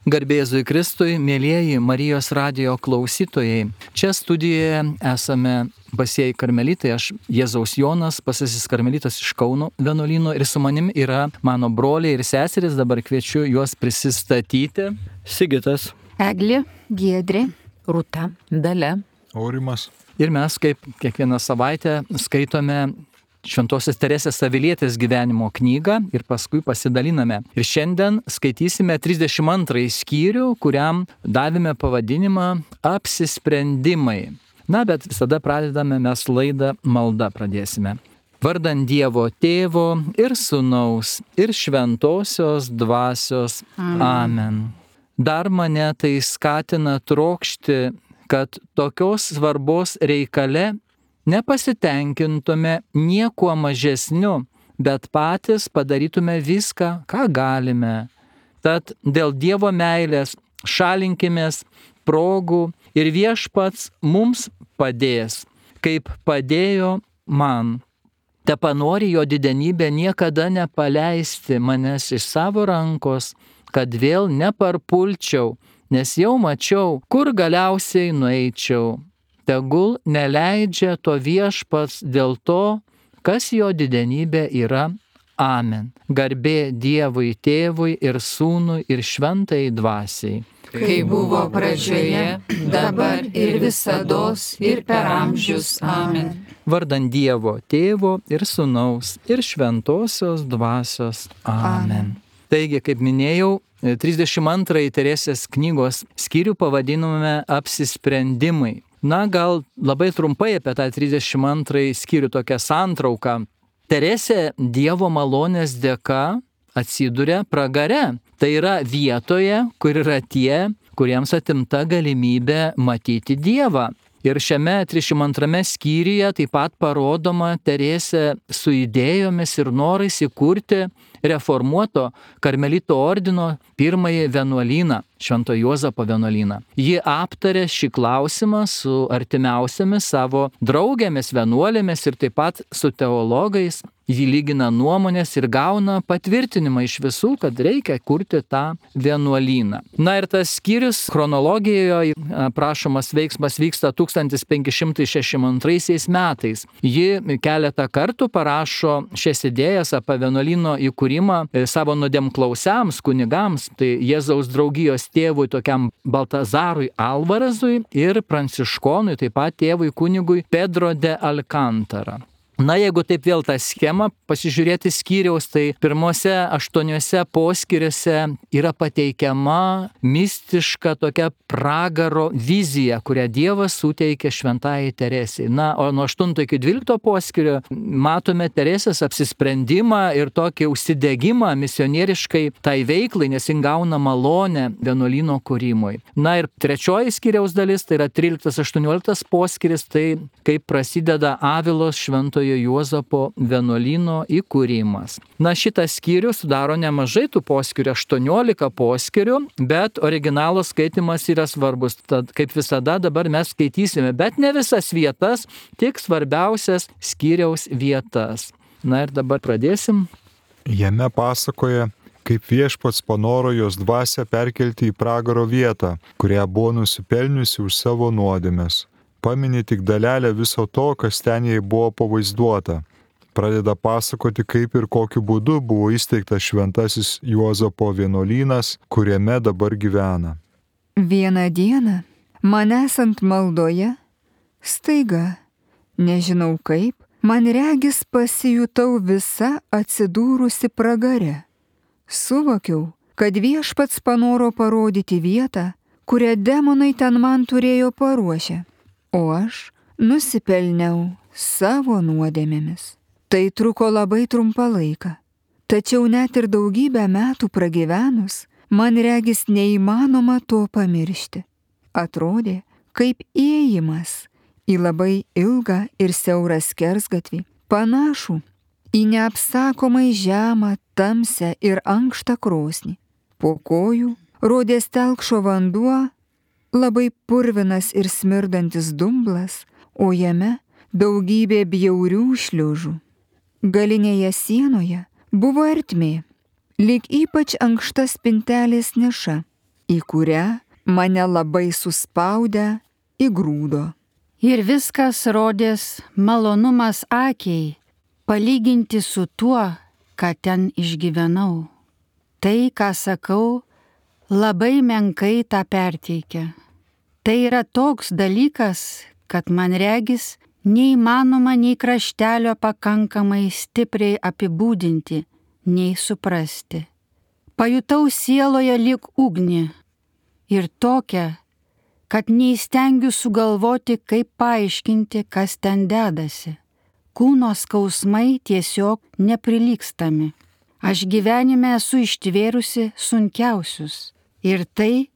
Garbė Jėzui Kristui, mėlyjeji Marijos radijo klausytojai. Čia studijoje esame Pasieji karmelitai, aš Jėzaus Jonas, Pasasis karmelitas iš Kauno vienuolyno ir su manim yra mano broliai ir seserys, dabar kviečiu juos prisistatyti. Sigitas, Eglė, Giedrė, Rūta, Dalia, Aurimas. Ir mes kaip kiekvieną savaitę skaitome Šventosios Teresės Avilietės gyvenimo knygą ir paskui pasidaliname. Ir šiandien skaitysime 32 skyrių, kuriam davėme pavadinimą Apsisprendimai. Na, bet visada pradedame mes laidą malda pradėsime. Vardan Dievo Tėvo ir Sūnaus ir Šventosios Dvasios. Amen. Dar mane tai skatina trokšti, kad tokios svarbos reikale nepasitenkintume niekuo mažesniu, bet patys padarytume viską, ką galime. Tad dėl Dievo meilės šalinkimės progų ir Viešpats mums padės, kaip padėjo man. Tepanori jo didenybė niekada nepaleisti manęs iš savo rankos, kad vėl neparpulčiau, nes jau mačiau, kur galiausiai nueičiau. Tegul neleidžia to Viešpats dėl to, kas jo didenybė yra. Amen. Garbė Dievui Tėvui ir Sūnui ir Šventajai Dvasiai. kai buvo pradžioje, dabar ir visados ir per amžius. Amen. Vardan Dievo Tėvo ir Sūnaus ir Šventosios Dvasios. Amen. Taigi, kaip minėjau, 32 Teresės knygos skyrių pavadinome Apsisprendimai. Na, gal labai trumpai apie tą 32 skyrių tokią santrauką. Teresė Dievo malonės dėka atsiduria pragare. Tai yra vietoje, kur yra tie, kuriems atimta galimybė matyti Dievą. Ir šiame 32 skyriuje taip pat parodoma Teresė su idėjomis ir norais įkurti reformuoto karmelito ordino pirmąjį vienuolyną, Švento Juozapo vienuolyną. Ji aptarė šį klausimą su artimiausiamis savo draugėmis, vienuolėmis ir taip pat su teologais. Ji lygina nuomonės ir gauna patvirtinimą iš visų, kad reikia kurti tą vienuolyną. Na ir tas skyrius chronologijoje aprašomas veiksmas vyksta 1562 metais. Ji keletą kartų parašo šias idėjas apie vienuolyno įkūrimą savo nuodėmklausiams kunigams, tai Jėzaus draugijos tėvui tokiam Baltazarui Alvarazui ir pranciškonui, taip pat tėvui kunigui Pedro de Alcantara. Na, jeigu taip vėl tą schemą pasižiūrėti skyriaus, tai pirmose 8 poskyriuose yra pateikiama mistiška tokia pragaro vizija, kurią Dievas suteikė Šventajai Teresei. Na, o nuo 8 iki 12 poskyrio matome Teresės apsisprendimą ir tokį užsidegimą misionieriškai tai veiklai, nes jin gauna malonę vienuolyno kūrimui. Na ir 3 skyriaus dalis, tai yra 13-18 poskyris, tai kaip prasideda Avilos Šventojo Juozapo vienuolyno įkūrimas. Na, šitas skyrius sudaro nemažai tų poskyrių, 18 poskyrių, bet originalo skaitimas yra svarbus. Tad, kaip visada, dabar mes skaitysime, bet ne visas vietas, tik svarbiausias skyriaus vietas. Na ir dabar pradėsim. Jame pasakoja, kaip Viešpats panoro jos dvasią perkelti į pragaro vietą, kurią buvo nusipelniusi už savo nuodėmes. Pamini tik dalelę viso to, kas ten jai buvo pavaizduota. Pradeda pasakoti, kaip ir kokiu būdu buvo įsteigtas Šventasis Juozapo vienuolynas, kuriame dabar gyvena. Vieną dieną, man esant maldoje, staiga, nežinau kaip, man regis pasijutau visa atsidūrusi pragare. Suvokiau, kad Viešpats panoro parodyti vietą, kurią demonai ten man turėjo paruošę. O aš nusipelniau savo nuodėmėmis. Tai truko labai trumpą laiką. Tačiau net ir daugybę metų pragyvenus, man regis neįmanoma to pamiršti. Atrodė, kaip įėjimas į labai ilgą ir siaurą skersgatvį, panašų į neapsakomai žemą, tamsią ir ankštą krosnį. Po kojų rodės telkšo vanduo, labai purvinas ir smirdantis dumblas, o jame daugybė bjaurių šliužų. Galinėje sienoje buvo ertmė, lyg ypač ankšta spintelės niša. į kurią mane labai suspaudę įgrūdo. Ir viskas rodės malonumas akiai, palyginti su tuo, ką ten išgyvenau. Tai, ką sakau, labai menkai tą perteikia. Tai yra toks dalykas, kad man regis neįmanoma nei kraštelio pakankamai stipriai apibūdinti, nei suprasti. Pajutau sieloje lyg ugnį ir tokią, kad neįstengiu sugalvoti, kaip paaiškinti, kas ten dedasi. Kūno skausmai tiesiog neprilygstami. Aš gyvenime esu ištvėrusi sunkiausius ir tai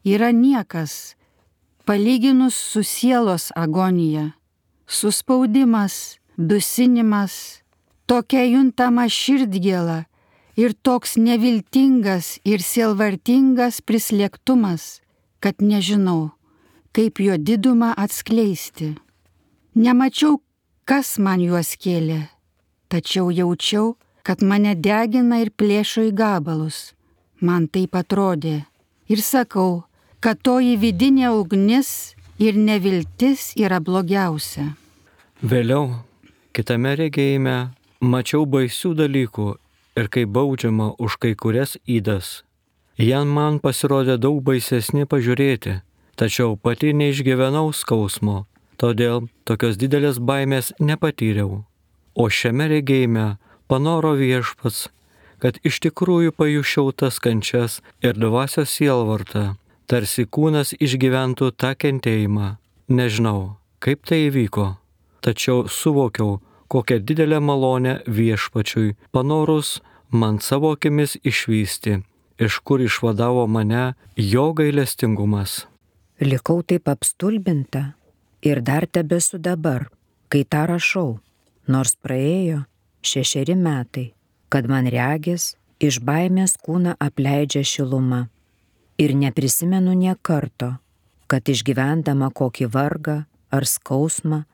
yra niekas, palyginus su sielos agonija. Suspaudimas, dusinimas, tokia juntama širdgėla ir toks neviltingas ir sielvartingas prislėgtumas, kad nežinau, kaip jo didumą atskleisti. Nemačiau, kas man juos kėlė, tačiau jaučiau, kad mane degina ir plėšo į gabalus. Man taip atrodė. Ir sakau, kad toji vidinė ugnis ir neviltis yra blogiausia. Vėliau, kitame regėjime, mačiau baisių dalykų ir kaip baudžiama už kai kurias ydas. Jie man pasirodė daug baisesni pažiūrėti, tačiau pati neišgyvenau skausmo, todėl tokios didelės baimės nepatyriau. O šiame regėjime panoro Viešpats, kad iš tikrųjų pajuščiau tas kančias ir dvasios sielvartą, tarsi kūnas išgyventų tą kentėjimą. Nežinau, kaip tai įvyko, tačiau suvokiau, kokią didelę malonę Viešpačiui panorus man savo akimis išvysti, iš kur išvadavo mane jo gailestingumas. Likau taip apstulbinta ir dar tebesu dabar, kai tą rašau, nors praėjo 6 metai, kad man regis iš baimės kūną apleidžia šiluma. Ir neprisimenu nė karto, kad išgyvendama kokį vargą ar skausmą,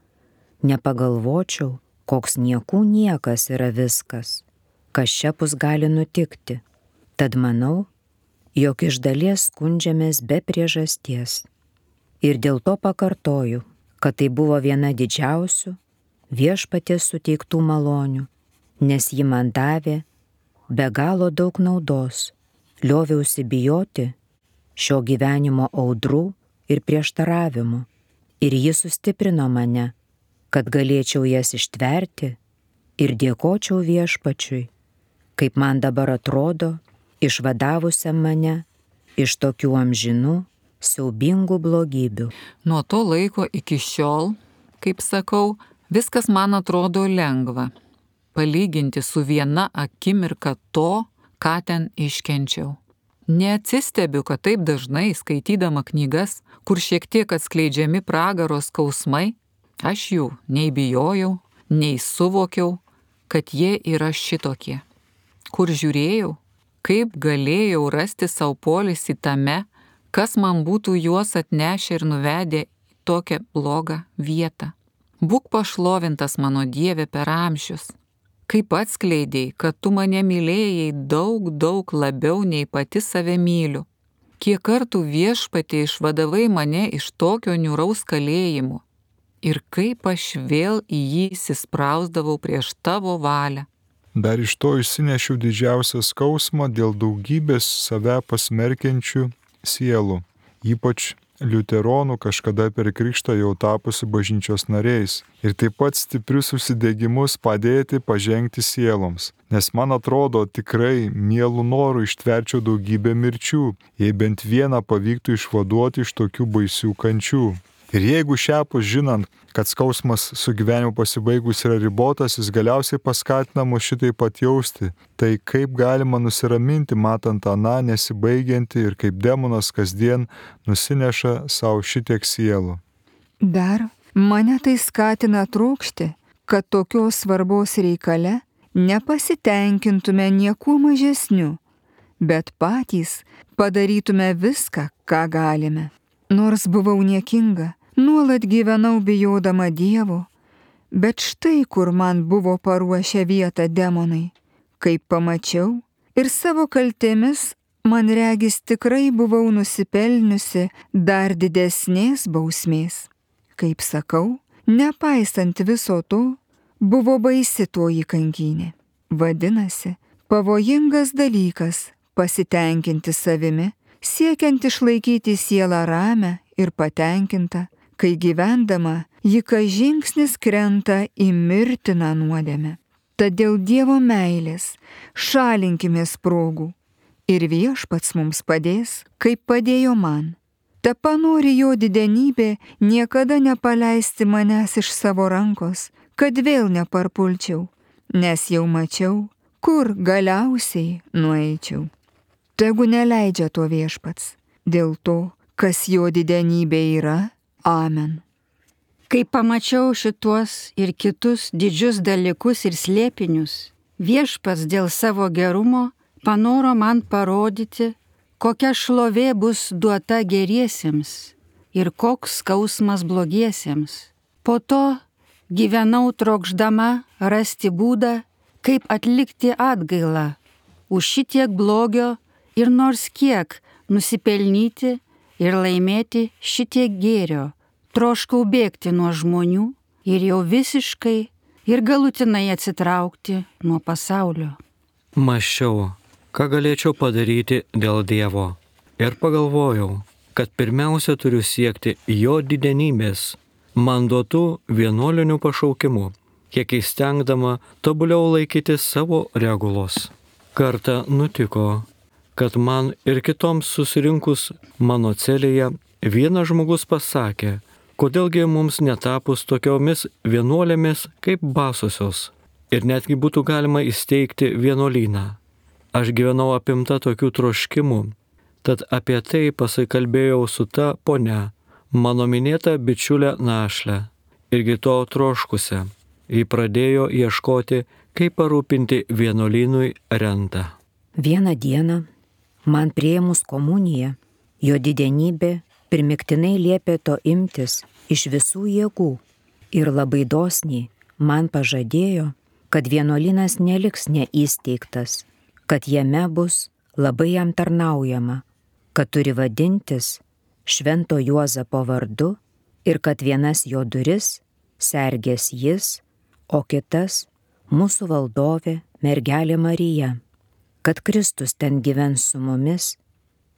nepagalvočiau, koks niekų niekas yra viskas, kas šiapus gali nutikti. Tad manau, jog iš dalies skundžiamės be priežasties. Ir dėl to pakartoju, kad tai buvo viena didžiausių Viešpaties suteiktų malonių, nes ji man davė be galo daug naudos, lioviausi bijoti šio gyvenimo audrų ir prieštaravimų, ir ji sustiprino mane, kad galėčiau jas ištverti ir dėkočiau Viešpačiui, kaip man dabar atrodo, išvadavusiam mane iš tokių amžinų, siaubingų blogybių. Nuo to laiko iki šiol, kaip sakau, viskas man atrodo lengva, palyginti su viena akimirka to, ką ten iškenčiau. Neatsistebiu, kad taip dažnai skaitydama knygas, kur šiek tiek atskleidžiami pragaro skausmai, aš jų nei bijojau, nei suvokiau, kad jie yra šitokie. Kur žiūrėjau, kaip galėjau rasti savo poilsį tame, kas man būtų juos atnešę ir nuvedę į tokią blogą vietą. Būk pašlovintas mano Dieve per amžius, kaip atskleidėjai, kad tu mane mylėjai daug labiau nei pati save myliu. Kiek kartų Viešpatie išvadavai mane iš tokio niūraus kalėjimo ir kaip aš vėl į jį įsisprausdavau prieš tavo valią. Dar iš to išsinešiau didžiausią skausmą dėl daugybės save pasmerkiančių sielų, ypač liuteronų kažkada per krikštą jau tapusi bažnyčios nariais, ir taip pat stiprius užsidegimus padėti pažengti sieloms, nes man atrodo tikrai mielų norų ištverčiau daugybę mirčių, jei bent vieną pavyktų išvaduoti iš tokių baisių kančių. Ir jeigu šiapus žinant, kad skausmas su gyvenimu pasibaigus yra ribotas, jis galiausiai paskatina mus šitai pat jausti, tai kaip galima nusiraminti matant aną nesibaigiantį ir kaip demonas kasdien nusineša savo šitiek sielų. Dar mane tai skatina trokšti, kad tokios svarbos reikale nepasitenkintume niekuo mažesniu, bet patys padarytume viską, ką galime. Nors buvau niekinga, nuolat gyvenau bijodama Dievo, bet štai kur man buvo paruošę vietą demonai, kaip pamačiau ir savo kaltėmis man regis tikrai buvau nusipelniusi dar didesnės bausmės. Kaip sakau, nepaisant viso to, buvo baisi toji kankynė. Vadinasi, pavojingas dalykas pasitenkinti savimi, siekiant išlaikyti sielą ramę ir patenkintą, kai gyvendama ji kas žingsnis krenta į mirtiną nuodėmę. Tad dėl Dievo meilės šalinkimės progų ir Viešpats mums padės, kaip padėjo man. Te panori jo didenybė niekada nepaleisti manęs iš savo rankos, kad vėl neparpulčiau, nes jau mačiau, kur galiausiai nueičiau. Tegu neleidžia to Viešpats, dėl to, kas jo didenybė yra. Amen. Kai pamačiau šituos ir kitus didžius dalykus ir slėpinius, Viešpats dėl savo gerumo panoro man parodyti, kokia šlovė bus duota geriesiems ir koks skausmas blogiesiems. Po to gyvenau trokšdama rasti būdą, kaip atlikti atgailą už šitiek blogio ir nors kiek nusipelnyti ir laimėti šitiek gėrio. Troškau bėgti nuo žmonių ir jau visiškai ir galutinai atsitraukti nuo pasaulio. Mąsčiau, ką galėčiau padaryti dėl Dievo. Ir pagalvojau, kad pirmiausia turiu siekti jo didenybės, man duotų vienuolinių pašaukimų, kiek įstengdama tobuliau laikyti savo regulos. Kartą nutiko, kad man ir kitoms susirinkus mano celėje vienas žmogus pasakė, kodėlgi mums netapus tokiomis vienuolėmis kaip basosios ir netgi būtų galima įsteigti vienuolyną. Aš gyvenau apimta tokių troškimų, tad apie tai pasikalbėjau su ta ponia, mano minėta bičiulė Našlė, irgi to troškusią. Ji pradėjo ieškoti, kaip parūpinti vienuolynui rentą. Vieną dieną, man priėmus komuniją, jo didenybė primiktinai liepė to imtis iš visų jėgų ir labai dosniai man pažadėjo, kad vienuolynas neliks neįsteigtas, kad jame bus labai jam tarnaujama, kad turi vadintis Švento Juozapo vardu ir kad vienas jo duris sergės jis, o kitas mūsų valdovė mergelė Marija, kad Kristus ten gyvens su mumis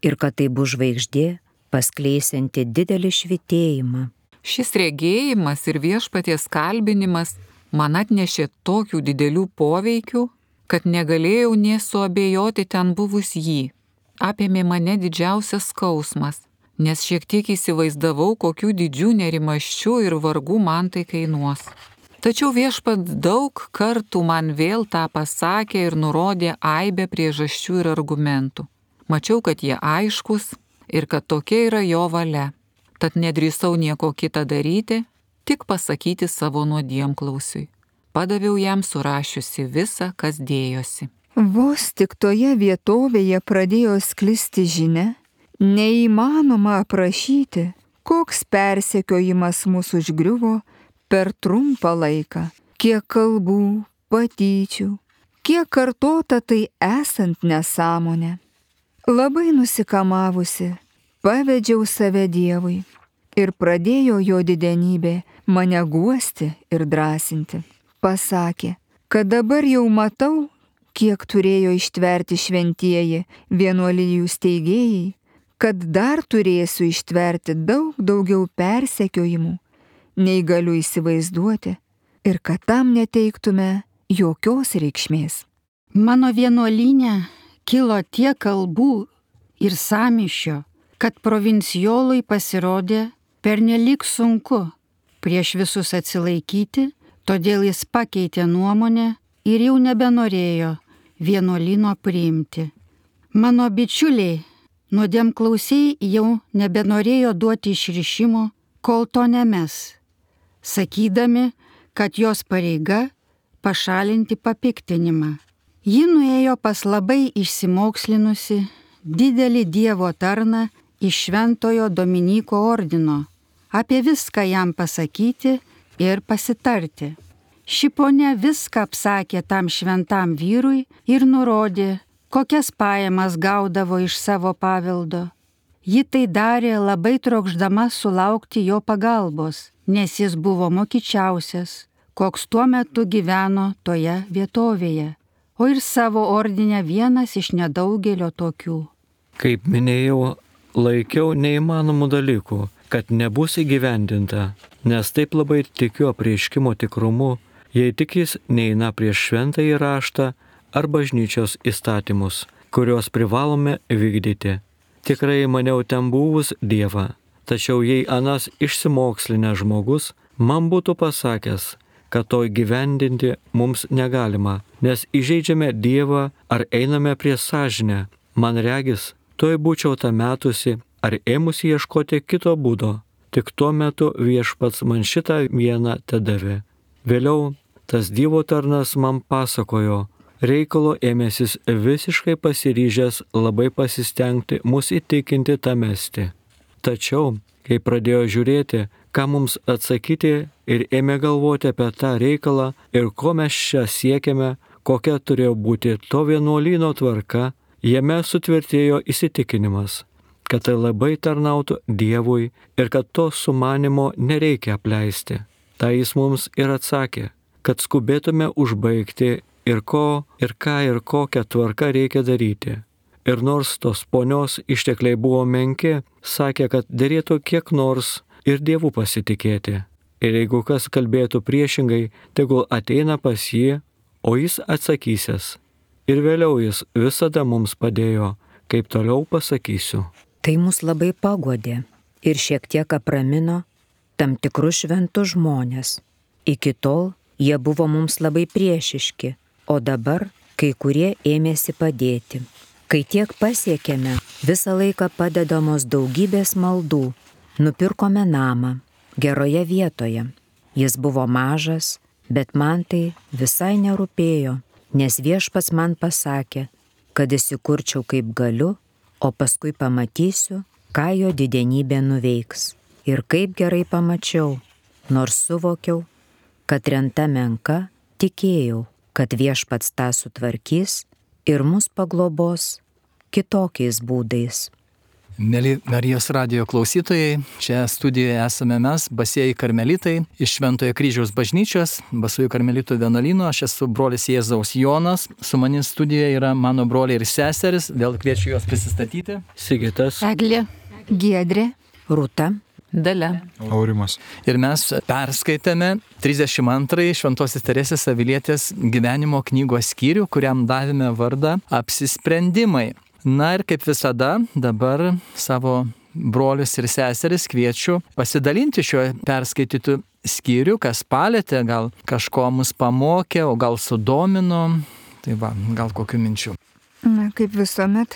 ir kad tai bus žvaigždė paskleisianti didelį švytėjimą. Šis regėjimas ir Viešpaties kalbinimas man atnešė tokių didelių poveikių, kad negalėjau nė suabejoti ten buvus jį. Apėmė mane didžiausias skausmas, nes šiek tiek įsivaizdavau, kokių didžių nerimasčių ir vargų man tai kainuos. Tačiau Viešpats daug kartų man vėl tą pasakė ir nurodė aibę priežasčių ir argumentų. Mačiau, kad jie aiškus ir kad tokia yra jo valia. Tad nedrįsau nieko kitą daryti, tik pasakyti savo nuodėmklausiui. Padaviau jam surašiusi visą, kas dėjosi. Vos tik toje vietovėje pradėjo sklisti žinia, neįmanoma aprašyti, koks persekiojimas mūsų užgriuvo per trumpą laiką, kiek kalbų, patyčių, kiek kartota tai esant nesąmonė. Labai nusikamavusi, pavedžiau save Dievui ir pradėjo jo didenybė mane guosti ir drąsinti. Pasakė, kad dabar jau matau, kiek turėjo ištverti šventieji vienuolijų steigėjai, kad dar turėsiu ištverti daug daugiau persekiojimų, nei galiu įsivaizduoti, ir kad tam neteiktume jokios reikšmės. Mano vienuolyne kilo tiek kalbų ir sąmyšio, kad provincijolui pasirodė pernelyg sunku prieš visus atsilaikyti, todėl jis pakeitė nuomonę ir jau nebenorėjo vienuolyno priimti. Mano bičiuliai, nuodėmklausiai jau nebenorėjo duoti išrišimo, kol to nemes, sakydami, kad jos pareiga pašalinti papiktinimą. Ji nuėjo pas labai išsimokslinusi didelį Dievo tarną iš Šventojo Dominyko ordino, apie viską jam pasakyti ir pasitarti. Ši ponia viską apsakė tam šventam vyrui ir nurodė, kokias pajamas gaudavo iš savo paveldo. Ji tai darė labai trokšdama sulaukti jo pagalbos, nes jis buvo mokyčiausias, koks tuo metu gyveno toje vietovėje, o ir savo ordine vienas iš nedaugelio tokių. Kaip minėjau, laikiau neįmanomų dalykų, kad nebus įgyvendinta, nes taip labai tikiu apreiškimo tikrumu, jei tik jis neina prieš šventąjį raštą ar bažnyčios įstatymus, kuriuos privalome vykdyti. Tikrai maniau ten buvus Dievą, tačiau jei anas išsimokslinęs žmogus man būtų pasakęs, kad to įgyvendinti mums negalima, nes įžeidžiame Dievą ar einame prie sąžinę, man regis, tuoj būčiau tą metusi ar ėmusi ieškoti kito būdo, tik tuo metu Viešpats man šitą vieną tedavė. Vėliau tas Dievo tarnas man pasakojo, reikalo ėmėsis visiškai pasiryžęs labai pasistengti mus įtikinti tą mesti. Tačiau, kai pradėjo žiūrėti, ką mums atsakyti ir ėmė galvoti apie tą reikalą ir ko mes čia siekiame, kokia turėjo būti to vienuolyno tvarka, jame sutvirtėjo įsitikinimas, kad tai labai tarnautų Dievui ir kad to sumanimo nereikia apleisti. Tai jis mums ir atsakė, kad skubėtume užbaigti ir ko, ir ką, ir kokią tvarką reikia daryti. Ir nors tos ponios ištekliai buvo menki, sakė, kad derėtų kiek nors ir Dievu pasitikėti. Ir jeigu kas kalbėtų priešingai, tegul ateina pas jį, o jis atsakysis. Ir vėliau jis visada mums padėjo, kaip toliau pasakysiu. Tai mus labai paguodė ir šiek tiek apramino tam tikrus šventus žmonės. Iki tol jie buvo mums labai priešiški, o dabar kai kurie ėmėsi padėti. Kai tiek pasiekėme, visą laiką padedamos daugybės maldų, nupirkome namą geroje vietoje. Jis buvo mažas, bet man tai visai nerūpėjo, nes Viešpats man pasakė, kad įsikurčiau kaip galiu, o paskui pamatysiu, ką jo didenybė nuveiks. Ir kaip gerai pamačiau, nors suvokiau, kad renta menka, tikėjau, kad Viešpats tą sutvarkys ir mus paglobos kitokiais būdais. Mėly Marijos radijo klausytojai, čia studijoje esame mes, Basieji karmelitai, iš Šventojo Kryžiaus bažnyčios, Basųjų karmelitų vienuolyno. Aš esu brolis Jėzaus Jonas, su manim studijoje yra mano broliai ir seseris, vėl kviečiu juos prisistatyti. Sigitas, Eglė, Giedrė, Rūta, Dalia. Aurimas. Ir mes perskaitėme 32 Šventosios Teresės Avilietės gyvenimo knygos skyrių, kuriam davėme vardą Apsisprendimai. Na ir kaip visada, dabar savo brolius ir seseris kviečiu pasidalinti šiuo perskaitytų skyrių, kas palėtė, gal kažko mus pamokė, o gal sudomino, tai va, gal kokių minčių. Na, kaip visuomet,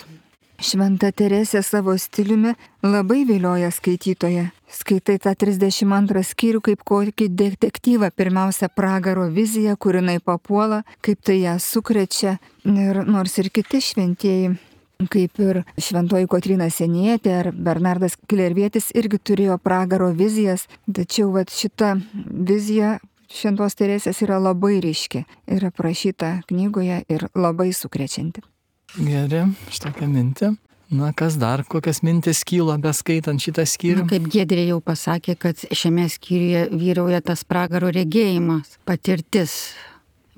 Šventa Teresė savo stiliumi labai vilioja skaitytoją. Skaitai tą 32 skyrių kaip kokį detektyvą, pirmiausia pragaro viziją, kur jinai papuola, kaip tai ją sukrečia. Ir nors ir kiti šventieji, kaip ir šventoji Kotryna Sienietė ar Bernardas Klervietis irgi turėjo pragaro vizijas, tačiau šita vizija Šventos Teresės yra labai ryški ir aprašyta knygoje ir labai sukrečianti. Gerai, štokia mintė. Na, kas dar, kokias mintis kyla beskaitant šitą skyrių? Kaip Giedrė jau pasakė, kad šiame skyriuje vyrauja tas pragaro regėjimas, patirtis.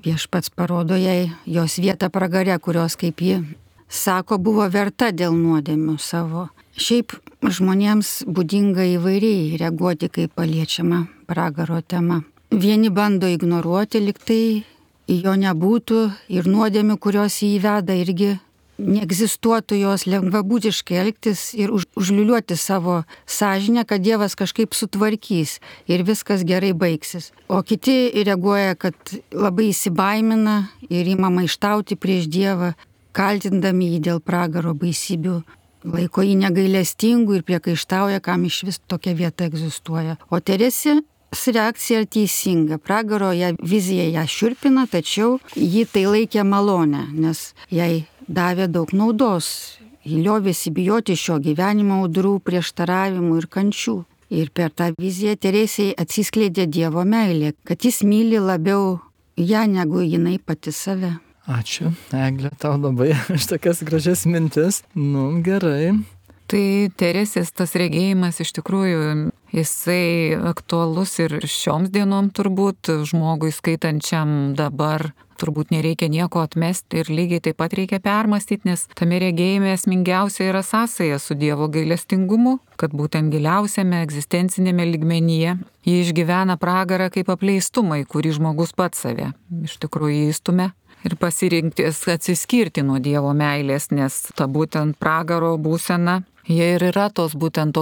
Viešpats parodo jai jos vietą pragare, kurios, kaip ji sako, buvo verta dėl nuodėmių savo. Šiaip žmonėms būdinga įvairiai reaguoti, kai paliečiama pragaro tema. Vieni bando ignoruoti, lyg tai jo nebūtų, ir nuodėmių, kurios jį įveda, irgi neegzistuotų, jos lengvabūdiškai elgtis ir užliuliuoti savo sąžinę, kad Dievas kažkaip sutvarkys ir viskas gerai baigsis. O kiti reaguoja, kad labai įsibaimina ir ima maištauti prieš Dievą, kaltindami jį dėl pragaro baisybių, laiko jį negailestingu ir priekaištauja, kam iš vis tokia vieta egzistuoja. O Teresės reakcija teisinga. Pragaro vizija ją šiurpina, tačiau ji tai laikė malonę, nes jai davė daug naudos. Ji liovėsi bijoti šio gyvenimo audrų, prieštaravimų ir kančių. Ir per tą viziją Teresei atsiskleidė Dievo meilė, kad jis myli labiau ją negu jinai pati save. Ačiū, Eglė, tau labai už tokias gražias mintis. Gerai. Tai Teresės tas regėjimas iš tikrųjų, jisai aktualus ir šioms dienom turbūt, žmogui skaitančiam dabar turbūt nereikia nieko atmesti ir lygiai taip pat reikia permastyti, nes tame regėjime esmingiausia yra sąsaja su Dievo gailestingumu, kad būtent giliausiame egzistencinėme lygmenyje jį išgyvena pragarą kaip apleistumą, į kurį žmogus pats save iš tikrųjų įstumia. Ir pasirinkti atsiskirti nuo Dievo meilės, nes ta būtent pragaro būsena, jie ir yra tos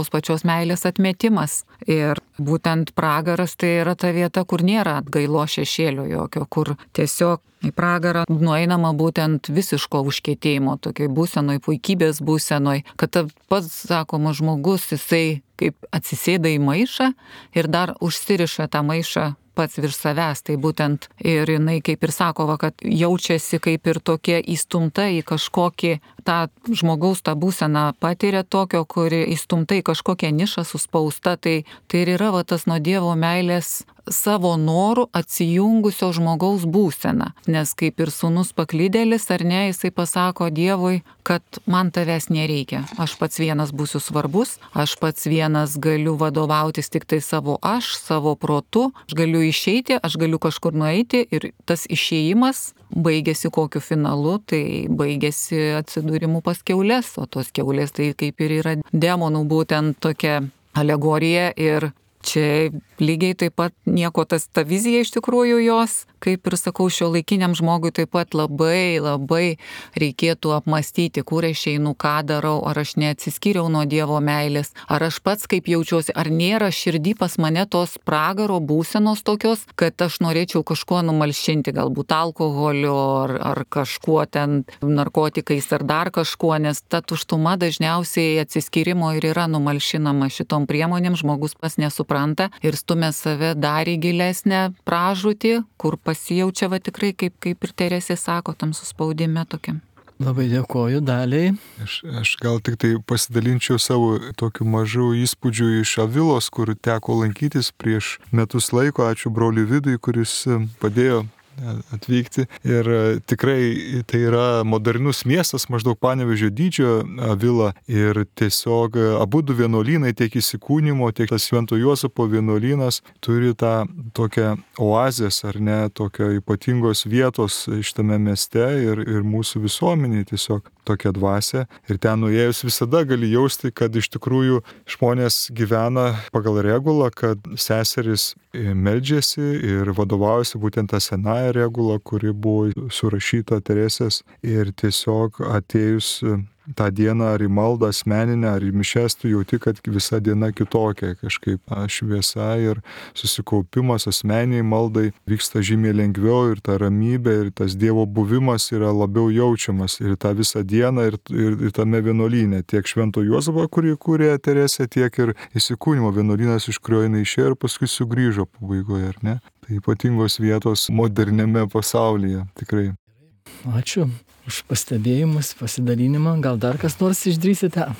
pačios meilės atmetimas. Ir būtent pragaras tai yra ta vieta, kur nėra atgailo šešėlio jokio, kur tiesiog į pragarą nueinama būtent visiško užkietėjimo, tokiai būsenoj, puikybės būsenoj, kad pats, sakoma, žmogus, jisai kaip atsisėda į maišą ir dar užsiriša tą maišą pats virš savęs, tai būtent ir jinai kaip ir sako, kad jaučiasi kaip ir tokia įstumta į kažkokį tą žmogaus tą būseną patiria tokio, kuri įstumta į kažkokią nišą suspausta, tai ir yra tas nuo Dievo meilės savo norų atsijungusio žmogaus būseną. Nes kaip ir sūnus paklydėlis, ar ne, jisai pasako Dievui, kad man tavęs nereikia. Aš pats vienas būsiu svarbus, aš pats vienas galiu vadovautis tik tai savo protu, aš galiu išeiti, aš galiu kažkur nueiti ir tas išėjimas baigėsi kokiu finalu, tai baigėsi atsidūrimu pas kiaulės, o tos kiaulės tai kaip ir yra demonų būtent tokia alegorija ir čia lygiai taip pat nieko ta vizija iš tikrųjų jos, kaip ir sakau, šiuolaikiniam žmogui taip pat labai reikėtų apmastyti, kur aš einu, ką darau, ar aš neatsiskyriau nuo Dievo meilės, ar aš pats kaip jaučiuosi, ar nėra širdį pas mane tos pragaro būsenos tokios, kad aš norėčiau kažkuo numalšinti, galbūt alkoholiu, ar kažkuo ten narkotikais, ar dar kažkuo, nes ta tuštuma dažniausiai atsiskyrimo ir yra numalšinama šitom priemonėm, žmogus pas nesupranta ir stumia save dar į gilesnę pražūtį, kur pasijaučia tikrai, kaip ir Teresė sako, tam suspaudime tokiam. Labai dėkoju Daliai. Aš gal tik tai pasidalinčiau savo tokiu mažu įspūdžiu iš Avilos, kur teko lankytis prieš metus laiko. Ačiū broliui Vidui, kuris padėjo atvykti. Ir tikrai tai yra modernus miestas, maždaug Panevėžio dydžio Avila. Ir tiesiog abudu vienuolynai, tiek įsikūnymo, tiek tas Švento Juozapo vienuolynas turi tą tokią oazės, ar ne, tokio ypatingos vietos šitame mieste ir mūsų visuomeniai tiesiog tokia dvasia. Ir ten nuėjus visada gali jausti, kad iš tikrųjų žmonės gyvena pagal regulą, kad seserys meldžiasi ir vadovaujasi būtent tą senąją regulą, kuri buvo surašyta Teresės. Ir tiesiog atėjus tą dieną ar į maldą asmeninę, ar į mišias, tu jauti, kad visa diena kitokia, kažkaip šviesa ir susikaupimas asmeniniai maldai vyksta žymiai lengviau ir ta ramybė ir tas Dievo buvimas yra labiau jaučiamas ir tą visą dieną ir tame vienuolyne, tiek Švento Juozapo, kurį kūrė Teresė, tiek ir įsikūnymo vienuolynas, iš kurio jinai išėjo ir paskui sugrįžo pabaigoje, ar ne? Tai ypatingos vietos moderniame pasaulyje, tikrai. Ačiū už pastebėjimus, pasidalinimą. Gal dar kas nors išdrįsite?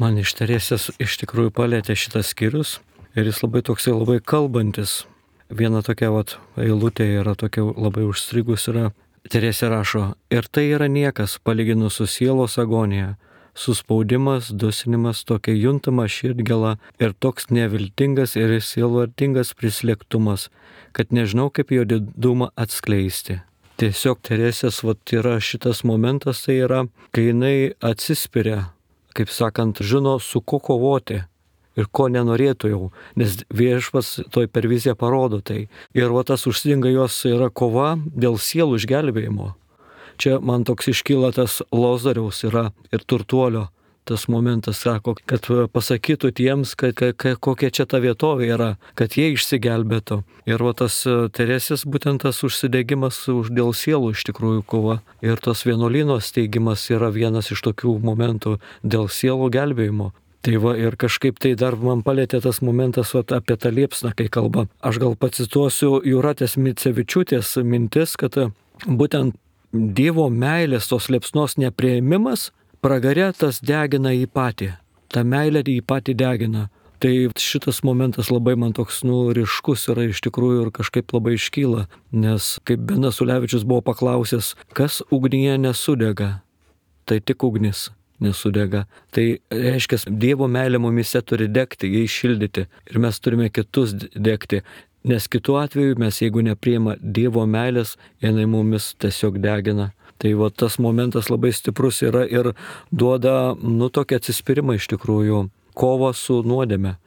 Man iš Teresės iš tikrųjų palėtė šitas skyrius ir jis labai kalbantis. Viena tokia eilutė yra tokia labai užstrigus yra. Teresė rašo, ir tai yra niekas palyginus su sielos agonija, suspaudimas, dusinimas, tokia juntama širdgėla ir toks neviltingas ir sielvartingas prislėgtumas, kad nežinau kaip jo didumą atskleisti. Tiesiog Teresės yra šitas momentas, tai yra, kai jinai atsispiria, kaip sakant, žino su ko kovoti ir ko nenorėtų jau, nes Viešpats toj per viziją parodo tai. Ir tas užsidinga jos yra kova dėl sielų išgelbėjimo. Čia man toks iškyla tas Lozoriaus yra ir turtuolio. Tas momentas sako, kad pasakytų tiems, kokia čia ta vietovė yra, kad jie išsigelbėtų. Ir tas Teresės būtent tas užsidegimas dėl sielų iš tikrųjų kova. Ir tas vienuolyno steigimas yra vienas iš tokių momentų dėl sielų gelbėjimo. Tai ir kažkaip tai dar man palėtė tas momentas apie tą liepsną, kai kalba. Aš gal pacituosiu Jūratės Micevičiūtės mintis, kad būtent Dievo meilės tos liepsnos nepriėmimas pragare tas degina jį patį. Ta meilė jį patį degina. Tai šitas momentas labai man toks ryškus yra iš tikrųjų ir kažkaip labai iškyla, nes kaip Benas Ulevičius buvo paklausęs, kas ugnyje nesudega, tai tik ugnis nesudega. Tai reiškia, Dievo meilė mumise turi degti, jai šildyti ir mes turime kitus degti, nes kitu atveju mes, jeigu nepriima Dievo meilės, jinai mumis tiesiog degina. Tai va tas momentas labai stiprus yra ir duoda, tokį atsispyrimą iš tikrųjų, kova su nuodėme,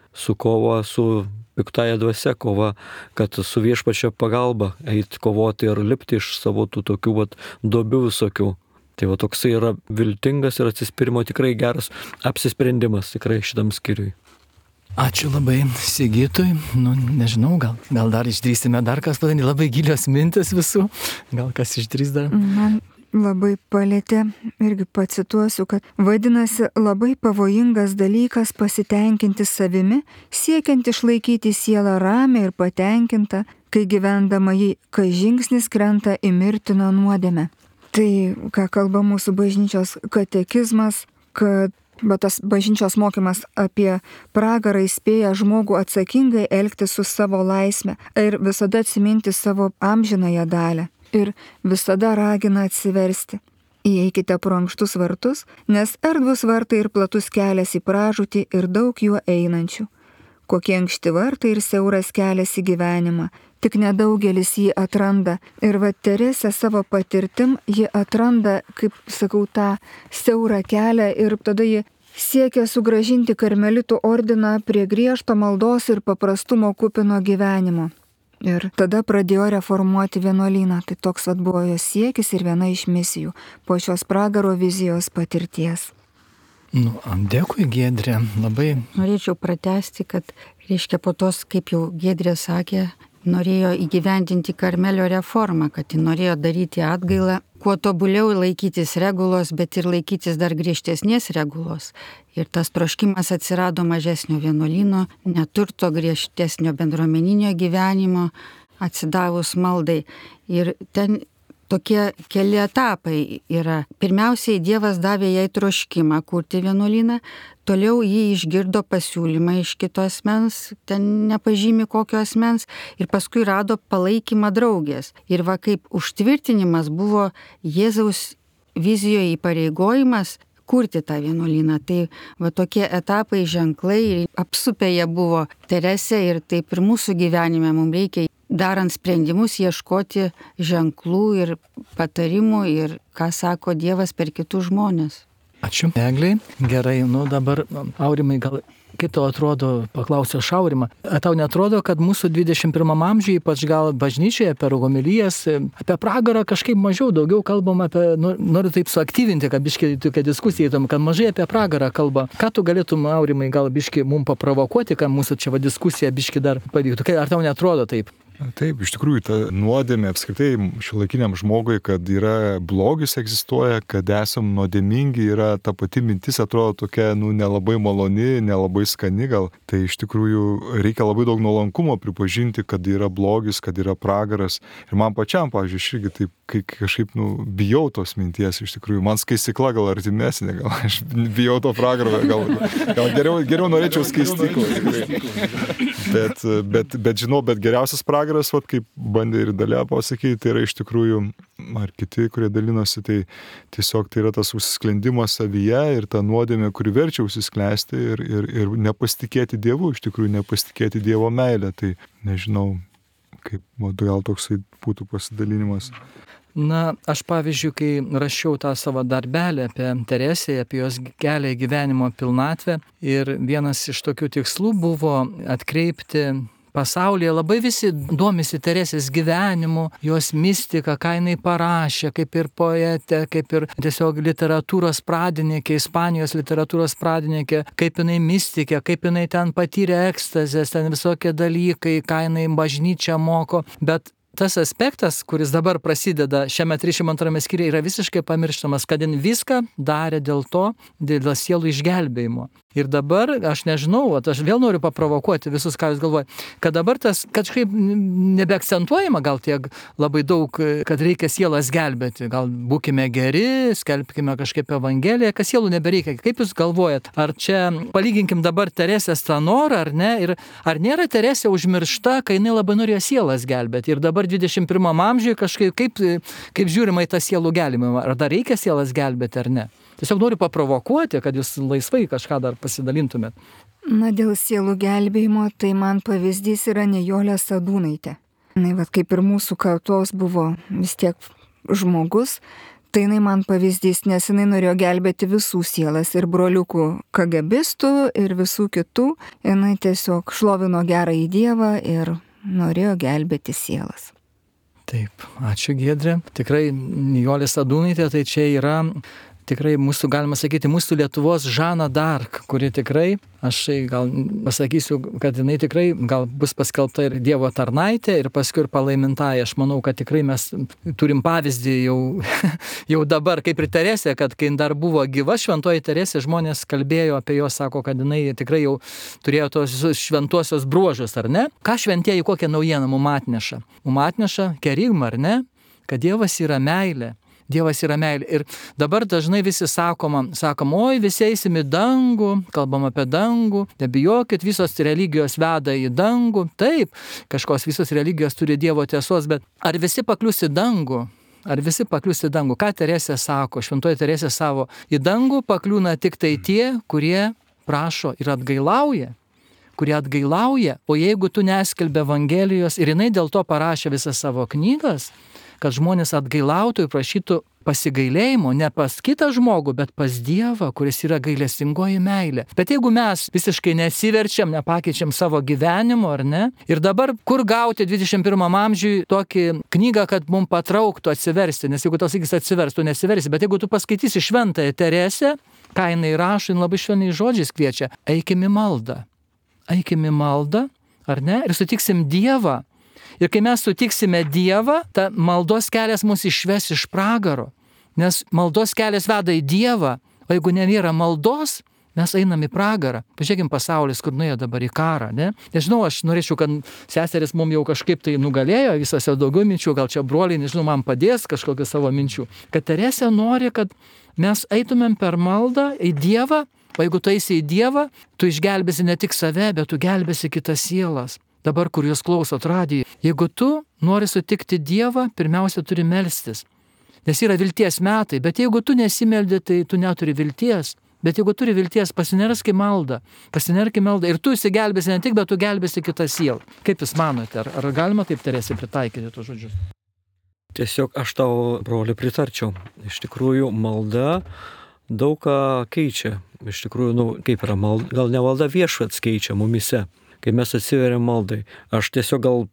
kova su piktąja dvasia, kova, kad su Viešpačio pagalba eit kovoti ir lipti iš savo tų tokių duobių visokių. Tai va toksai yra viltingas ir atsispyrimo tikrai geras apsisprendimas tikrai šitam skyriui. Ačiū labai Sigitui. Nežinau, gal dar išdrįsime dar kas padaryti, labai gilios mintis visų. Gal kas išdrįs dar? Man labai palėtė, irgi pacituosiu, kad vadinasi labai pavojingas dalykas pasitenkinti savimi, siekiant išlaikyti sielą ramią ir patenkintą, kai gyvendama jį, kai žingsnis krenta į mirtiną nuodėmę. Tai, ką kalba mūsų bažnyčios katekizmas, kad tas bažnyčios mokymas apie pragarą įspėja žmogų atsakingai elgtis su savo laisme ir visada atsiminti savo amžinąją dalią ir visada ragina atsiversti. Įeikite pro ankštus vartus, nes erdvus vartai ir platus kelias į pražūtį ir daug juo einančių. Kokie ankšti vartai ir siauras kelias į gyvenimą, tik nedaugelis jį atranda. Ir Teresė savo patirtim ji atranda, kaip sakau, tą siaurą kelią ir tada ji siekia sugrąžinti karmelitų ordiną prie griežto maldos ir paprastumo kupino gyvenimo. Ir tada pradėjo reformuoti vienuolyną. Tai toks buvo jos siekis ir viena iš misijų po šios pragaro vizijos patirties. Dėkui, Giedrė, labai. Norėčiau pratęsti, kad, reiškia, po tos, kaip jau Giedrė sakė, norėjo įgyvendinti Karmelio reformą, kad ji norėjo daryti atgailą, kuo tobuliau laikytis regulos, bet ir laikytis dar griežtesnės regulos. Ir tas troškimas atsirado mažesnio vienuolyno, neturto, griežtesnio bendruomeninio gyvenimo, atsidavus maldai. Ir ten tokie keli etapai yra. Pirmiausiai Dievas davė jai troškimą kurti vienuolyną, toliau jį išgirdo pasiūlymą iš kito asmens, ten nepažymi kokio asmens, ir paskui rado palaikymą draugės. Ir kaip užtvirtinimas buvo Jėzaus vizijoje įpareigojimas kurti tą vienuolyną. Tai tokie etapai, ženklai, apsupę jie buvo Teresė ir taip ir mūsų gyvenime mums reikia, darant sprendimus, ieškoti ženklų ir patarimų ir ką sako Dievas per kitus žmonės. Ačiū, Egliai. Gerai, dabar, Aurimai, gal kaip tau atrodo, paklausė Aurimą, tau netrodo, kad mūsų 21 amžiuje, ypač gal bažnyčioje, per homilijas, apie pragarą kažkaip mažiau, daugiau kalbam apie, noriu taip suaktyvinti, kad biški tokia diskusija įtom, kad mažai apie pragarą kalba. Ką tu galėtum, Aurimai, gal biški mum paprovokuoti, kad mūsų čia diskusija biški dar pavyktų? Ar tau netrodo taip? Taip, iš tikrųjų, ta nuodėmė apskritai šiuolaikiniam žmogui, kad yra blogis egzistuoja, kad esam nuodėmingi, yra ta pati mintis, atrodo tokia, nelabai maloni, nelabai skani gal. Tai iš tikrųjų reikia labai daug nuolankumo pripažinti, kad yra blogis, kad yra pragaras. Ir man pačiam, pavyzdžiui, aš irgi taip kažkaip, bijau tos minties, iš tikrųjų. Man skaistykla gal artimesnė, gal aš bijau to pragaro, gal geriau norėčiau skaistyklą. Bet žinau, bet geriausias pragaras, kaip bandė ir Dalia pasakyti, tai yra iš tikrųjų, ar kiti, kurie dalinosi, tai tiesiog tai yra tas užsisklendimas savyje ir ta nuodėmė, kuri verčia užsisklęsti ir nepasitikėti Dievu, iš tikrųjų nepasitikėti Dievo meilę. Tai nežinau, kaip gal toksai būtų pasidalinimas. Aš pavyzdžiui, kai rašiau tą savo darbelį apie Teresę, apie jos kelią į gyvenimo pilnatvę, ir vienas iš tokių tikslų buvo atkreipti pasaulyje, labai visi domisi Teresės gyvenimu, jos mistika, ką jinai parašė, kaip ir poetė, kaip ir tiesiog literatūros pradininkė, Ispanijos literatūros pradininkė, kaip jinai mistikė, kaip jinai ten patyrė ekstazės, ten visokie dalykai, ką jinai bažnyčia moko, bet tas aspektas, kuris dabar prasideda šiame 32 skyriuje, yra visiškai pamirštamas, kad jin viską darė dėl sielų išgelbėjimo. Ir dabar, aš nežinau, aš vėl noriu paprovokuoti visus, ką jūs galvojate, kad dabar tas kažkaip nebeakcentuojama gal tiek labai daug, kad reikia sielas gelbėti. Gal būkime geri, skelbkime kažkaip evangeliją, kad sielų nebereikia. Kaip jūs galvojat, ar čia palyginkim dabar Teresės tą norą, ar ne? Ir ar nėra Teresė užmiršta, kai jinai labai norėjo sielas gelbėti? Ir dabar 21 amžiuje kažkaip kaip žiūrima į tą sielų gelbėjimą? Ar dar reikia sielas gelbėti, ar ne? Tiesiog noriu paprovokuoti, kad jūs laisvai kažką dar pasidalintumėt. Na, dėl sielų gelbėjimo, tai man pavyzdys yra Nijolė Sadūnaitė. Na, kaip ir mūsų kartos buvo vis tiek žmogus, tai jinai man pavyzdys, nes jinai norėjo gelbėti visų sielas, ir broliukų KGBistų, ir visų kitų. Jinai tiesiog šlovino gerąjį Dievą ir norėjo gelbėti sielas. Taip, ačiū Giedrė. Tikrai Nijolė Sadūnaitė, tai čia yra tikrai mūsų, galima sakyti, mūsų Lietuvos Žana d'Arc, kuri tikrai, aš gal pasakysiu, kad jinai tikrai gal bus paskelbta ir Dievo tarnaitė, ir paskui ir palaimintaja. Aš manau, kad tikrai mes turim pavyzdį jau dabar, kaip ir Teresė, kad kai dar buvo gyva šventoji Teresė, žmonės kalbėjo apie jos, sako, kad jinai tikrai jau turėjo tos šventuosios bruožus, ar ne? Ką šventieji kokią naujieną mum atneša? Mum atneša kerigmą, ar ne? Kad Dievas yra meilė. Dievas yra meilė. Ir dabar dažnai visi sakom, oi, visi eisim į dangų, kalbam apie dangų, nebijokit, visos religijos veda į dangų. Taip, kažkos visos religijos turi Dievo tiesos, bet ar visi paklius į dangų? Ar visi paklius į dangų? Ką Teresė sako? Šventoji Teresė savo, į dangų pakliūna tik tai tie, kurie prašo ir atgailauja. O jeigu tu neskelbi Evangelijos, ir jinai dėl to parašė visas savo knygas, kad žmonės atgailautų ir prašytų pasigailėjimo ne pas kitą žmogų, bet pas Dievą, kuris yra gailestingoji meilė. Bet jeigu mes visiškai nesiverčiam, nepakeičiam savo gyvenimo, ar ne? Ir dabar kur gauti 21 amžiui tokį knygą, kad mums patrauktų atsiversti? Nes jeigu tau sakys atsivers, tu nesiversi. Bet jeigu tu paskaitysi šventąją Teresę, ką jinai rašo, jinai labai švelniais žodžiais kviečia. Eikim į maldą, ar ne? Ir sutiksim Dievą. Ir kai mes sutiksime Dievą, ta maldos kelias mus išves iš pragaro. Nes maldos kelias veda į Dievą, o jeigu nėra maldos, mes einam į pragarą. Pažiūrėkim pasaulis, kur nuėjo dabar į karą, ne? Nežinau, aš norėčiau, kad seseris mums jau kažkaip tai nugalėjo, visose daugiau minčių, gal čia broliai, nežinau, man padės kažkokių savo minčių. Kad Teresė nori, kad mes eitumėm per maldą į Dievą, o jeigu tu eisi į Dievą, tu išgelbėsi ne tik save, bet tu gelbėsi kitas sielas. Dabar, kur jūs klausot radiją, jeigu tu nori sutikti Dievą, pirmiausia turi melstis. Nes yra vilties metai, bet jeigu tu nesimeldi, tai tu neturi vilties. Bet jeigu turi vilties, pasinerk į maldą. Ir tu įsigelbėsi ne tik, bet tu gelbėsi kitą sielą. Kaip jūs manote, ar galima taip Teresė pritaikyti tuos žodžius? Tiesiog aš tau, broli, pritarčiau. Iš tikrųjų, malda daug ką keičia. Iš tikrųjų, kaip yra malda, gal ne malda, Viešpats keičia mumise. Kai mes atsiveriam maldai. Aš tiesiog gal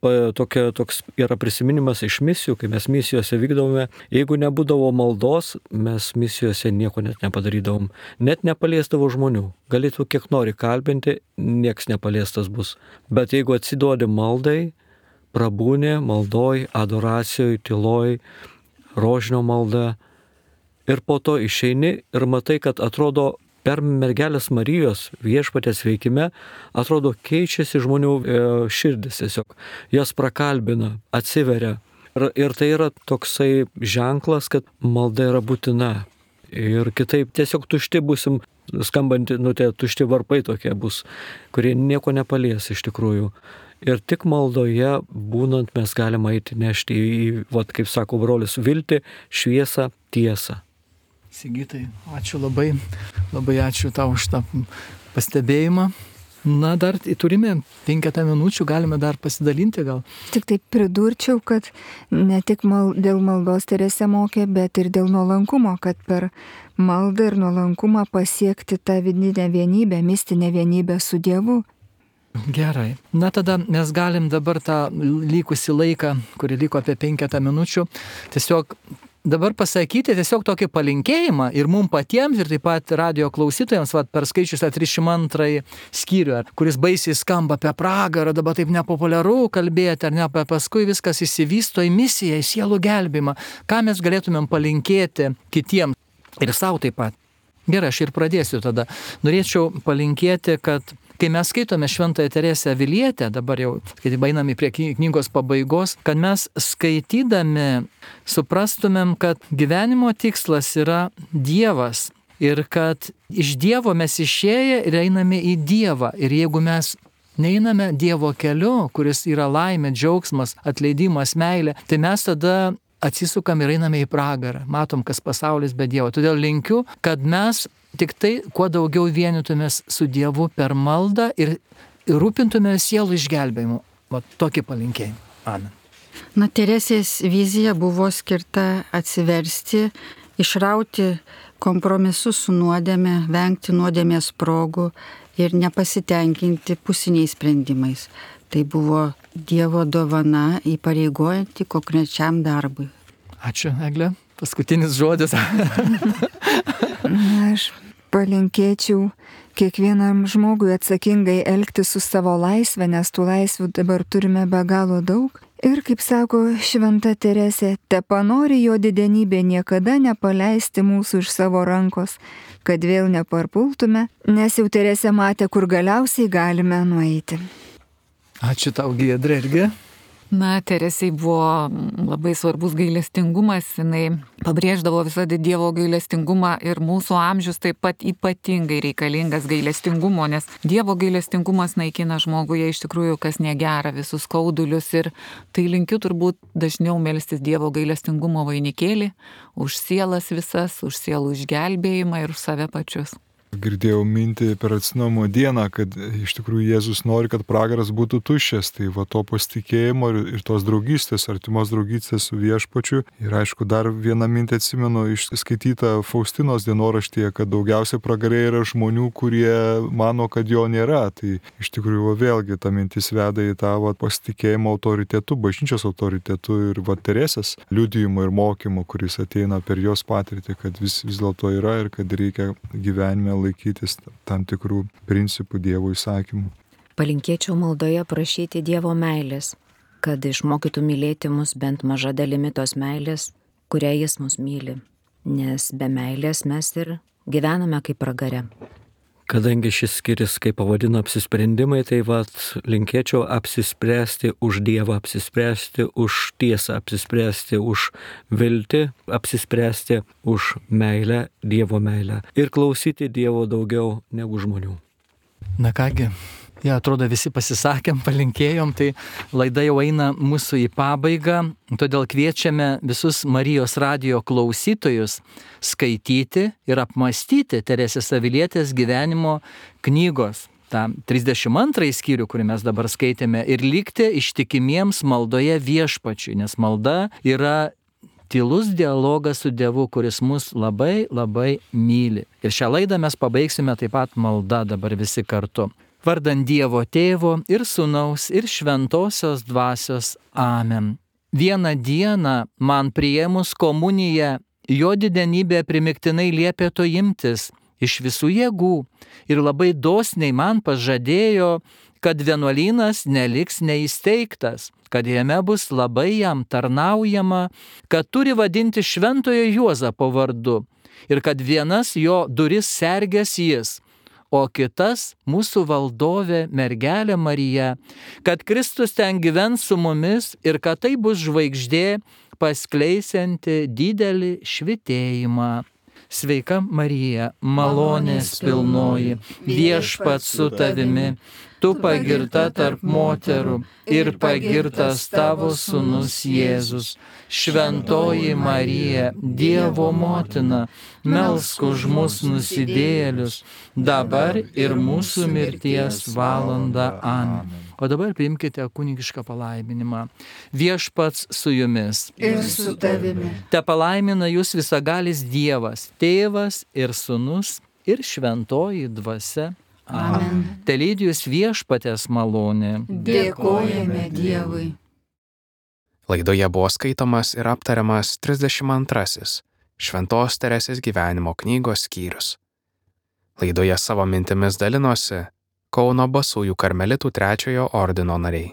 toks yra prisiminimas iš misijų, kai mes misijose vykdavome. Jeigu nebūdavo maldos, mes misijose nieko net nepadarydavom. Net nepaliesdavo žmonių. Galėtų kiek nori kalbinti, nieks nepaliestas bus. Bet jeigu atsiduodi maldai, prabūni maldoj, adoracijoj, tyloj, rožinio malda, ir po to išeini ir matai, kad atrodo, per mergelės Marijos Viešpaties veikime, atrodo, keičiasi žmonių širdis tiesiog. Jas prakalbina, atsiveria. Ir tai yra toksai ženklas, kad malda yra būtina. Ir kitaip tiesiog tušti busim, skambanti, tie tušti varpai tokie bus, kurie nieko nepalies iš tikrųjų. Ir tik maldoje būnant mes galime eiti nešti į, kaip sako brolis, viltį, šviesą, tiesą. Sigitai, ačiū labai ačiū tau už tą pastebėjimą. Na, dar turime 5 minučių, galime dar pasidalinti gal. Tik taip pridurčiau, kad ne tik dėl maldos Teresė mokė, bet ir dėl nuolankumo, kad per maldą ir nuolankumą pasiekti tą vidinę vienybę, mistinę vienybę su Dievu. Gerai. Na, tada mes galim dabar tą likusį laiką, kurį liko apie 5 minučių, tiesiog dabar pasakyti tiesiog tokį palinkėjimą ir mums patiems, ir taip pat radio klausytojams, perskaičiusią 302 skyrių, kuris baisiai skamba apie pragarą, dabar taip nepopuliaru kalbėti, ar ne, paskui viskas įsivysto į misiją, į sielų gelbėjimą. Ką mes galėtumėm palinkėti kitiems ir savo taip pat? Gerai, aš ir pradėsiu tada. Norėčiau palinkėti, kad kai mes skaitome Šventąją Teresę Avilietę, dabar jau, kai einame prie knygos pabaigos, kad mes skaitydami suprastumėm, kad gyvenimo tikslas yra Dievas ir kad iš Dievo mes išėję ir einame į Dievą. Ir jeigu mes neiname Dievo keliu, kuris yra laimė, džiaugsmas, atleidimas, meilė, tai mes tada atsisukam ir einame į pragarą. Matom, kas pasaulis be Dievo. Todėl linkiu, kad mes tik tai kuo daugiau vienytumės su Dievu per maldą ir rūpintumės sielų išgelbėjimu. Va tokį palinkėjimą. Amen. Na, Teresės vizija buvo skirta atsiversti, išrauti kompromisus su nuodėme, vengti nuodėmės progų ir nepasitenkinti pusiniais sprendimais. Tai buvo Dievo dovana įpareigojanti konkrečiam darbui. Ačiū, Eglė. Paskutinis žodis. Aš palinkėčiau kiekvienam žmogui atsakingai elgtis su savo laisvė, nes tų laisvių dabar turime be galo daug. Ir kaip sako Šventa Teresė, tepanori jo didenybė niekada nepaleisti mūsų iš savo rankos, kad vėl neparpultume, nes jau Teresė matė, kur galiausiai galime nueiti. Ačiū tau, Giedrė, irgi. Na, Teresei buvo labai svarbus gailestingumas, jinai pabrėždavo visada Dievo gailestingumą ir mūsų amžius taip pat ypatingai reikalingas gailestingumo, nes Dievo gailestingumas naikina žmoguje iš tikrųjų kas negera, visus skaudulius ir tai linkiu turbūt dažniau melstis Dievo gailestingumo vainikėlį už sielas visas, už sielų išgelbėjimą ir už save pačius. Girdėjau mintį per atsinaujinimo dieną, kad iš tikrųjų Jėzus nori, kad pragaras būtų tuščias, tai va to pasitikėjimo ir tos draugystės, artimos draugystės su Viešpačiu. Ir aišku, dar vieną mintį atsimenu išskaitytą Faustinos dienoraštyje, kad daugiausiai pragare yra žmonių, kurie mano, kad jo nėra. Tai iš tikrųjų vėlgi ta mintis veda į tą pasitikėjimo autoritetu, bažnyčios autoritetu ir Teresės liudijimu ir mokymu, kuris ateina per jos patirtį, kad vis dėlto yra ir kad reikia gyvenime laikytis tam tikrų principų Dievo įsakymų. Palinkėčiau maldoje prašyti Dievo meilės, kad išmokytų mylėti mus bent maža dalimi tos meilės, kurią Jis mus myli, nes be meilės mes ir gyvename kaip pragare. Kadangi šis skyris, kaip pavadino, apsisprendimai, tai linkėčiau apsispręsti už Dievą, apsispręsti už tiesą, apsispręsti už viltį, apsispręsti už meilę, Dievo meilę ir klausyti Dievo daugiau negu žmonių. Na kągi, atrodo visi pasisakėm, palinkėjom, tai laida jau eina mūsų į pabaigą, todėl kviečiame visus Marijos radijo klausytojus skaityti ir apmąstyti Teresės Avilietės gyvenimo knygos, tą 32 skyrių, kurį mes dabar skaitėme, ir likti ištikimiems maldoje Viešpačiui, nes malda yra tylus dialogas su Dievu, kuris mus labai, labai myli. Ir šią laidą mes pabaigsime taip pat malda dabar visi kartu. Vardant Dievo Tėvo ir Sūnaus ir Šventosios Dvasios. Amen. Vieną dieną man priėmus komuniją, jo didenybė primiktinai liepė to imtis iš visų jėgų ir labai dosniai man pažadėjo, kad vienuolynas neliks neįsteigtas, kad jame bus labai jam tarnaujama, kad turi vadinti Šventojo Juozapo vardu ir kad vienas jo duris sergės jis, o kitas mūsų valdovė mergelė Marija, kad Kristus ten gyvens su mumis ir kad tai bus žvaigždė paskleisianti didelį švytėjimą. Sveika Marija, malonės pilnoji, Viešpats su tavimi, tu pagirta tarp moterų ir pagirtas tavo sūnus Jėzus. Šventoji Marija, Dievo motina, melsk už mus nusidėjėlius, dabar ir mūsų mirties valandą. Amen. O dabar priimkite kunigišką palaiminimą. Viešpats su jumis. Ir su tavimi. Te palaimina jūs visagalis Dievas, Tėvas ir Sūnus ir Šventoji Dvasia. Amen. Te lydi jūs Viešpaties malonė. Dėkojame Dievui. Laidoje buvo skaitomas ir aptariamas 32 Šventos Teresės gyvenimo knygos skyrius. Laidoje savo mintimis dalinosi Kauno Basųjų karmelitų 3 ordino nariai.